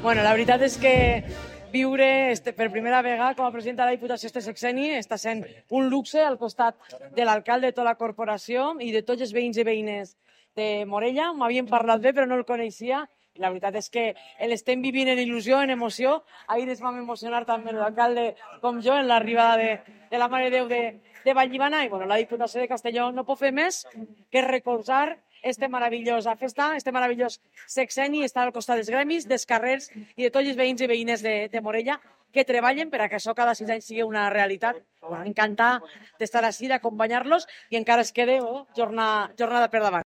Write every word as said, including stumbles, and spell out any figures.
Bueno, la veritat és que viure este, per primera vegada com a presidenta de la Diputació este sexeni està sent un luxe al costat de l'alcalde, de tota la corporació i de tots els veïns i veïnes de Morella. M'havien parlat bé però no el coneixia. La veritat és que l'estem vivint en il·lusió, en emoció. Ahir ens vam emocionar també l'alcalde com jo en l'arribada de, de la Mare de Déu de, de Vallivana i bueno, la Diputació de Castelló no pot fer més que recolzar este meravellosa festa, este meravellós sexeni, estar al costat dels gremis, dels carrers i de tots els veïns i veïnes de, de Morella que treballen per a que això cada sis anys sigui una realitat. Bueno, encantar d'estar així, d'acompanyar-los i encara es queda oh, jornada, jornada per davant.